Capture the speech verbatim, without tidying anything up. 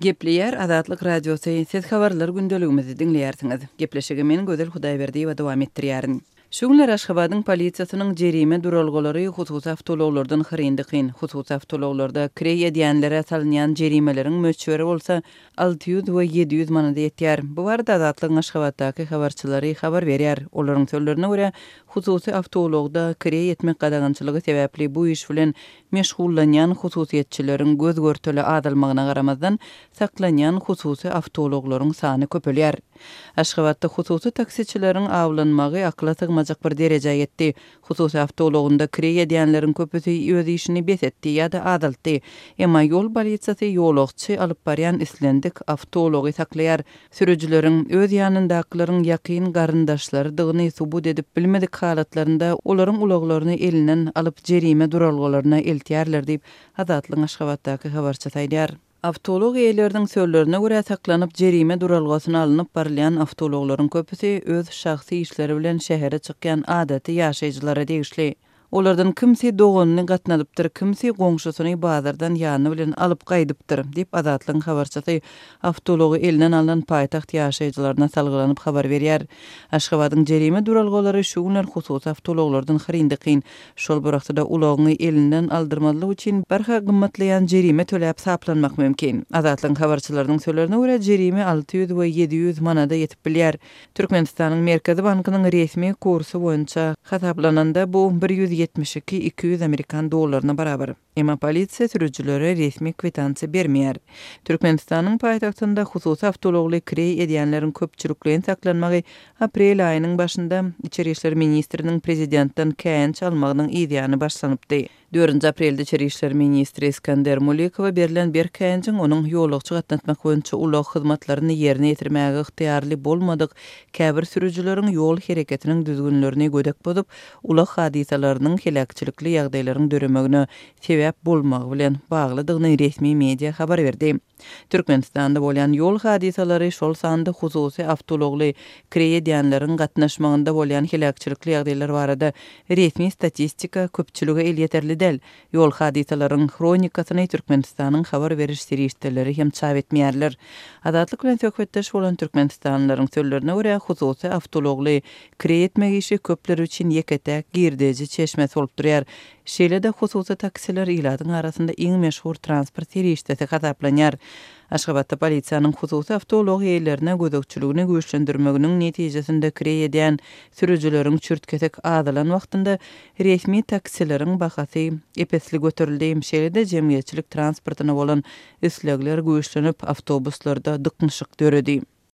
Gepleýär Azatlyk Radiosy, siz habarlar gündeligimizi diňleýärsiňiz. Gepleşigi men Gözel Hudaýberdiýewa dowam etdirýärin. Şu günler Aşgabadyň polisiýasynyň jerime duralgalary hususy awtoulaglardan hyryn-dykyn. Hususy awtoulaglarda kireý edýänlere salynýan jerimeleriň möçberi bolsa alty ýüz we ýedi ýüz manada ýetýär. Bu barada Azatlygyň Aşgabatdaky habarçylary habar berýär. Olaryň sözlerine görä, hususy awtoulagda kireý etmek gadagançylygy sebäpli bu iş bilen meşgullanýan hususyýetçileriň göz-görtele azalmagyna garamazdan, saklanýan hususy awtoulaglaryň sany köpelýär. Aşgabatda hususy taksiçileriň awlanmagy akyla sygmajak bir derejä ýetdi. Hususy awtoulagynda kireý edýänleriň köpüsi öz işini bes etdi ýa-da azaltdy. Emma ýol polisiýasy ýolagçy alyp barýan islendik awtoulagy saklaýar. Sürüjileriň öz ýanyndakylaryň ýakyn garyndaşlarydygyny subut edip bilmedik halatlarynda olaryň ulaglaryny elinden alyp jerime duralgalaryna eltýärler diýip, Azatlygyň Aşgabatdaky habarçysy aýdýar. Awtoulag eýeleriniň sözlerine görä, saklanyp jerime duralgasyna alnyp barylýan awtoulaglaryň köpüsi öz şahsy işleri bilen şähere çykýan adaty ýaşaýjylara degişli. Olardan kimsi doganyny gatnadypdyr, kimsi goňşusyny bazardan ýany bilen alyp gaýdypdyr, diýip, Azatlygyň habarçysy awtoulagy elinden alnan paýtagt ýaşaýjylaryna salgylanyp habar berýär. Aşgabadyň jerime duralgalary şu günler hususy awtoulaglardan hyryn-dykyn. Şol bir wagtda-da ulagyňy elinden aldyrmazlyk üçin barha gymmatlaýan jerime töläp saplanmak mümkin. Azatlygyň habarçylarynyň sözlerine görä, jerime alty ýüz we ýedi ýüz manada ýetip bilýär. Türkmenistanyň Merkezi bankynyň resmi kursy boýunça hasaplananda bu bir ýüz ýetmiş iki, iki ýüz amerikan dollaryna barabar. Emma polisiýa sürüjilere resmi kwitansiýa bermeýär. Türkmenistanyň paýtagtynda hususy awtoulagly kireý edýänleriň köpçülikleýin saklanmagy aprel aýynyň başynda Içeri işler ministriniň prezidentden käýinç almagynyň yzýany başlanypdy. Dördünji aprelde Içeri işler ministri Iskender Mulikowa berlen berk käýinjiň onuň ýolagçy gatnatmak boýunça ulag hyzmatlaryny ýerine ýetirmäge ygtyýarly bolmadyk käbir sürüjileriň ýol hereketiniň düzgünlerini gödek bozup, ulag hadysalarynyň heläkçilikli ýagdaýlaryň döremegine sebäp bolmagy bilen baglydygyny resmi media habar berdi. Türkmenistanda bolýan ýol hadysalary, şol sanda hususy awtoulagly kireý edýänleriň gatnaşmagynda bolýan heläkçilikli ýagdaýlar barada resmi statistika köpçülige elýeterli däl. Ýol hadysalaryň hronikasyny Türkmenistanyň habar beriş serişdeleri hem çap etmeýärler. Azatlyk bilen söhbetdeş bolan türkmenistanlylaryň sözlerine görä, hususy awtoulagly kireý etmek işi köpler üçin ýeke-täk girdeji çeşmesi bolup durýar. Şeýle-de hususy taksiler ilatyň arasynda iň meşhur transport serişdesi hasaplanýar. Aşgabatda polisiýanyň hususy awtoulag eýelerine gözegçiligini güýçlendirmeginiň netijesinde kireý edýän sürüjileriň çürt-kesik azalan wagtynda resmi taksileriň bahasy ep-esli göterildi. Şeýle-de jemgyýetçilik transportyna bolan islegler güýçlenip, awtobuslarda dyknyşyk döredi.